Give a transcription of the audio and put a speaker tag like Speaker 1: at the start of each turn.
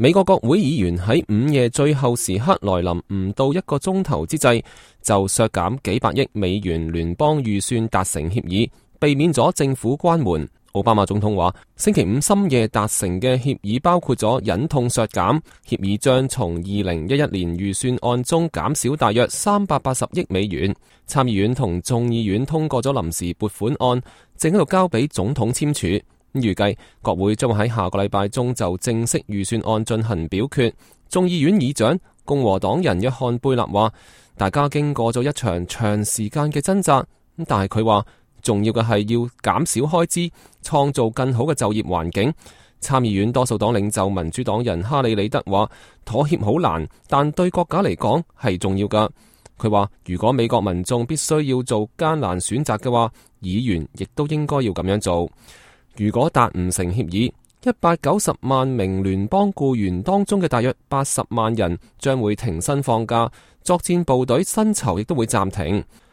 Speaker 1: 美國國會議員喺午夜最後時刻來臨唔到1個鐘頭之際，就削減幾百億美元聯邦預算達成協議，避免咗政府關門。奧巴馬總統話，星期五深夜達成嘅協議包括咗忍痛削減，協議將從2011年預算案中減少大約380億美元。參議院同眾議院通過咗臨時撥款案，正喺度交俾總統簽署。預計國會將會喺下個禮拜中就正式預算案進行表決。眾議院議長共和黨人約翰貝勒話，大家經過咗一場長時間嘅掙扎，但係佢話重要嘅係要減少開支，創造更好嘅就業環境。參議院多數黨領袖民主黨人哈里里德話，妥協好難，但對國家嚟講係重要噶。佢話如果美國民眾必須要做艱難選擇嘅話，議員亦都應該要咁樣做。如果達唔成協議，190萬名聯邦僱員當中嘅大約80萬人將會停薪放假，作戰部隊薪酬亦都會暫停。